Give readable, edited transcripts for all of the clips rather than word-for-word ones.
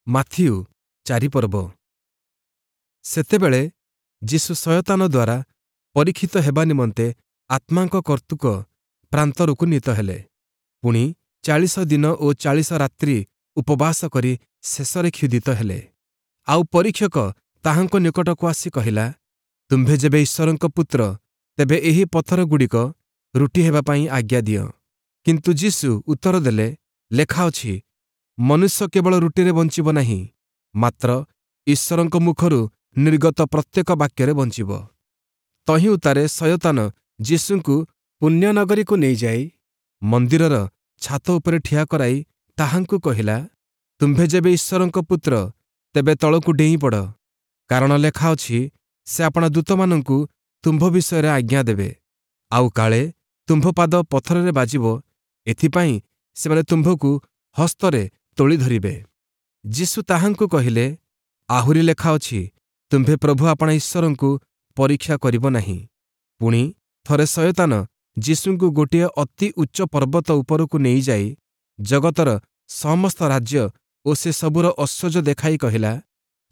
Matthew 4 ପର୍ବ। ସେତେବେଳେ ଯୀଶୁ ଶୟତାନ ଦ୍ୱାରା ପରୀକ୍ଷିତ ହେବା ନିମନ୍ତେ ଆତ୍ମାଙ୍କ କର୍ତ୍ତୃକ ପ୍ରାନ୍ତରକୁ ନୀତ ହେଲେ। ପୁଣି 40 ଦିନ ଓ 40 ରାତ୍ରି ଉପବାସ କରି ଶେଷରେ କ୍ଷୁଧିତ ହେଲେ। ଆଉ ପରୀକ୍ଷକ ତାହାଙ୍କ ନିକଟକୁ ଆସି କହିଲା, ତୁମ୍ଭେ ଯେବେ ଈଶ୍ୱରଙ୍କ ପୁତ୍ର, ତେବେ ଏହି ପଥରଗୁଡ଼ିକ ରୁଟି ହେବା ପାଇଁ ଆଜ୍ଞା ଦିଅ। କିନ୍ତୁ ଯୀଶୁ ଉତ୍ତର ଦେଲେ, ଲେଖା ଅଛି, ମନୁଷ୍ୟ କେବଳ ରୁଟିରେ ବଞ୍ଚିବ ନାହିଁ, ମାତ୍ର ଈଶ୍ୱରଙ୍କ ମୁଖରୁ ନିର୍ଗତ ପ୍ରତ୍ୟେକ ବାକ୍ୟରେ ବଞ୍ଚିବ। ତହିଁ ଉତ୍ତାରେ ଶୟତାନ ଯୀଶୁଙ୍କୁ ପୁଣ୍ୟନଗରୀକୁ ନେଇଯାଇ ମନ୍ଦିରର ଛାତ ଉପରେ ଠିଆ କରାଇ ତାହାଙ୍କୁ କହିଲା, ତୁମ୍ଭେ ଯେବେ ଈଶ୍ୱରଙ୍କ ପୁତ୍ର, ତେବେ ତଳକୁ ଡେଇଁ ପଡ଼। କାରଣ ଲେଖା ଅଛି, ସେ ଆପଣା ଦୂତମାନଙ୍କୁ ତୁମ୍ଭ ବିଷୟରେ ଆଜ୍ଞା ଦେବେ, ଆଉ କାଳେ ତୁମ୍ଭ ପାଦ ପଥରରେ ବାଜିବ, ଏଥିପାଇଁ ସେମାନେ ତୁମ୍ଭକୁ ହସ୍ତରେ ତୋଳି ଧରିବେ। ଯୀଶୁ ତାହାଙ୍କୁ କହିଲେ, ଆହୁରି ଲେଖା ଅଛି, ତୁମ୍ଭେ ପ୍ରଭୁ ଆପଣା ଈଶ୍ୱରଙ୍କୁ ପରୀକ୍ଷା କରିବ ନାହିଁ। ପୁଣି ଥରେ ଶୟତାନ ଯୀଶୁଙ୍କୁ ଗୋଟିଏ ଅତି ଉଚ୍ଚ ପର୍ବତ ଉପରକୁ ନେଇଯାଇ ଜଗତର ସମସ୍ତ ରାଜ୍ୟ ଓ ସେ ସବୁର ଐଶ୍ୱର୍ଯ୍ୟ ଦେଖାଇ କହିଲା,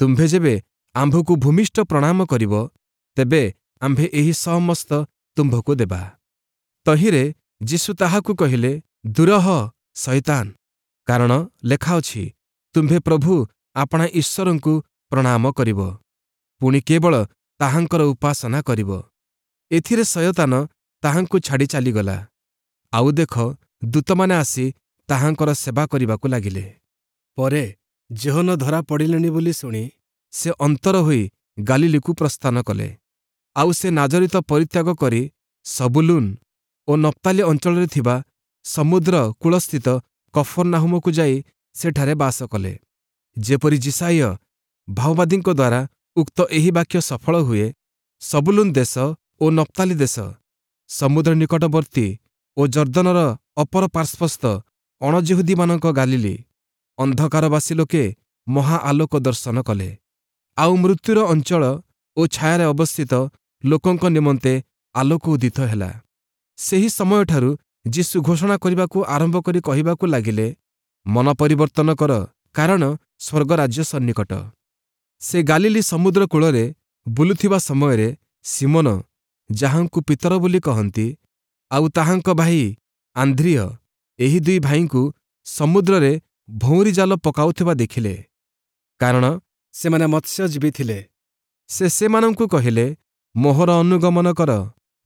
ତୁମ୍ଭେ ଯେବେ ଆମ୍ଭକୁ ଭୂମିଷ୍ଠ ପ୍ରଣାମ କରିବ, ତେବେ ଆମ୍ଭେ ଏହି ସମସ୍ତ ତୁମ୍ଭକୁ ଦେବା। ତହିଁରେ ଯୀଶୁ ତାହାକୁ କହିଲେ, ଦୂର ହ ଶୟତାନ, କାରଣ ଲେଖା ଅଛି, ତୁମ୍ଭେ ପ୍ରଭୁ ଆପଣା ଈଶ୍ୱରଙ୍କୁ ପ୍ରଣାମ କରିବ, ପୁଣି କେବଳ ତାହାଙ୍କର ଉପାସନା କରିବ। ଏଥିରେ ଶୟତାନ ତାହାଙ୍କୁ ଛାଡ଼ି ଚାଲିଗଲା। ଆଉ ଦେଖ, ଦୂତମାନେ ଆସି ତାହାଙ୍କର ସେବା କରିବାକୁ ଲାଗିଲେ। ପରେ ଯୋହନ ଧରା ପଡ଼ିଲେଣି ବୋଲି ଶୁଣି ସେ ଅନ୍ତର ହୋଇ ଗାଲିଲୀକୁ ପ୍ରସ୍ଥାନ କଲେ। ଆଉ ସେ ନାଜରିତ ପରିତ୍ୟାଗ କରି ସବୁଲୁନ ଓ ନପ୍ତାଲି ଅଞ୍ଚଳରେ ଥିବା ସମୁଦ୍ର କୂଳସ୍ଥିତ କଫର୍ନାହୁମକୁ ଯାଇ ସେଠାରେ ବାସ କଲେ। ଯେପରି ଯିଶାଇୟ ଭାବବାଦୀଙ୍କ ଦ୍ୱାରା ଉକ୍ତ ଏହି ବାକ୍ୟ ସଫଳ ହୁଏ, ସବୁଲୁନ ଦେଶ ଓ ନପ୍ତାଲି ଦେଶ, ସମୁଦ୍ର ନିକଟବର୍ତ୍ତୀ ଓ ଯର୍ଦ୍ଦନର ଅପର ପାର୍ଶ୍ୱସ୍ଥ ଅଣଯିହୁଦୀମାନଙ୍କ ଗାଲିଲୀ, ଅନ୍ଧକାରବାସୀ ଲୋକେ ମହା ଆଲୋକ ଦର୍ଶନ କଲେ। ଆଉ ମୃତ୍ୟୁର ଅଞ୍ଚଳ ଓ ଛାୟାରେ ଅବସ୍ଥିତ ଲୋକଙ୍କ ନିମନ୍ତେ ଆଲୋକ ଉଦିତ ହେଲା। ସେହି ସମୟଠାରୁ ଯୀଶୁ ଘୋଷଣା କରିବାକୁ ଆରମ୍ଭ କରି କହିବାକୁ ଲାଗିଲେ, ମନ ପରିବର୍ତ୍ତନ କର, କାରଣ ସ୍ୱର୍ଗରାଜ୍ୟ ସନ୍ନିକଟ। ସେ ଗାଲିଲୀ ସମୁଦ୍ର କୂଳରେ ବୁଲୁଥିବା ସମୟରେ ସିମୋନ, ଯାହାଙ୍କୁ ପିତର ବୋଲି କହନ୍ତି, ଆଉ ତାହାଙ୍କ ଭାଇ ଆନ୍ଦ୍ରିୟ, ଏହି ଦୁଇ ଭାଇଙ୍କୁ ସମୁଦ୍ରରେ ଭଉଁରୀ ଜାଲ ପକାଉଥିବା ଦେଖିଲେ, କାରଣ ସେମାନେ ମତ୍ସ୍ୟଜୀବୀ ଥିଲେ। ସେ ସେମାନଙ୍କୁ କହିଲେ, ମୋହର ଅନୁଗମନ କର,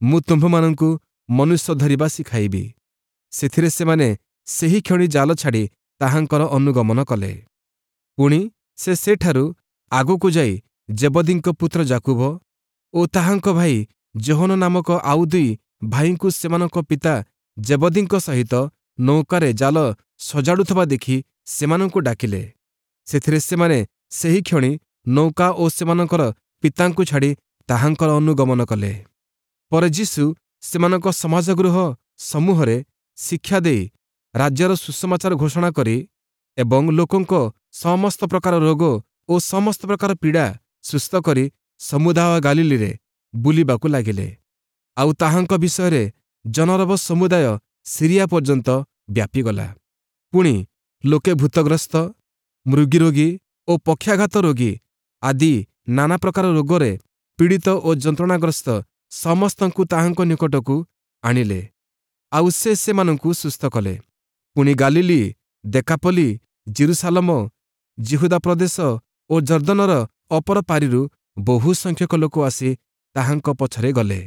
ମୁଁ ତୁମ୍ଭମାନଙ୍କୁ ମନୁଷ୍ୟ ଧରିବା ଶିଖାଇବି। ସେଥିରେ ସେମାନେ ସେହିକ୍ଷଣି ଜାଲ ଛାଡ଼ି ତାହାଙ୍କର ଅନୁଗମନ କଲେ। ପୁଣି ସେ ସେଠାରୁ ଆଗକୁ ଯାଇ ଜେବଦୀଙ୍କ ପୁତ୍ର ଯାକୁବ ଓ ତାହାଙ୍କ ଭାଇ ଯୋହନ ନାମକ ଆଉ ଦୁଇ ଭାଇଙ୍କୁ ସେମାନଙ୍କ ପିତା ଜେବଦୀଙ୍କ ସହିତ ନୌକାରେ ଜାଲ ସଜାଡ଼ୁଥିବା ଦେଖି ସେମାନଙ୍କୁ ଡାକିଲେ। ସେଥିରେ ସେମାନେ ସେହିକ୍ଷଣି ନୌକା ଓ ସେମାନଙ୍କର ପିତାଙ୍କୁ ଛାଡ଼ି ତାହାଙ୍କର ଅନୁଗମନ କଲେ। ପରେ ଯୀଶୁ ସେମାନଙ୍କ ସମାଜଗୃହ ସମୂହରେ ଶିକ୍ଷା ଦେଇ ରାଜ୍ୟର ସୁସମାଚାର ଘୋଷଣା କରି ଏବଂ ଲୋକଙ୍କ ସମସ୍ତ ପ୍ରକାର ରୋଗ ଓ ସମସ୍ତ ପ୍ରକାର ପୀଡ଼ା ସୁସ୍ଥ କରି ସମୁଦାୟ ଗାଲିଲୀରେ ବୁଲିବାକୁ ଲାଗିଲେ। ଆଉ ତାହାଙ୍କ ବିଷୟରେ ଜନରବ ସମୁଦାୟ ସିରିଆ ପର୍ଯ୍ୟନ୍ତ ବ୍ୟାପିଗଲା। ପୁଣି ଲୋକେ ଭୂତଗ୍ରସ୍ତ, ମୃଗୀରୋଗୀ ଓ ପକ୍ଷାଘାତ ରୋଗୀ ଆଦି ନାନା ପ୍ରକାର ରୋଗରେ ପୀଡ଼ିତ ଓ ଯନ୍ତ୍ରଣାଗ୍ରସ୍ତ ସମସ୍ତଙ୍କୁ ତାହାଙ୍କ ନିକଟକୁ ଆଣିଲେ, ଆଉ ସେ ସେମାନଙ୍କୁ ସୁସ୍ଥ କଲେ। ପୁଣି ଗାଲିଲୀ, ଦେକାପଲି, ଜିରୁସାଲମ, ଯିହୁଦା ପ୍ରଦେଶ ଓ ଯର୍ଦ୍ଦନର ଅପର ପାରିରୁ ବହୁ ସଂଖ୍ୟକ ଲୋକ ଆସି ତାହାଙ୍କ ପଛରେ ଗଲେ।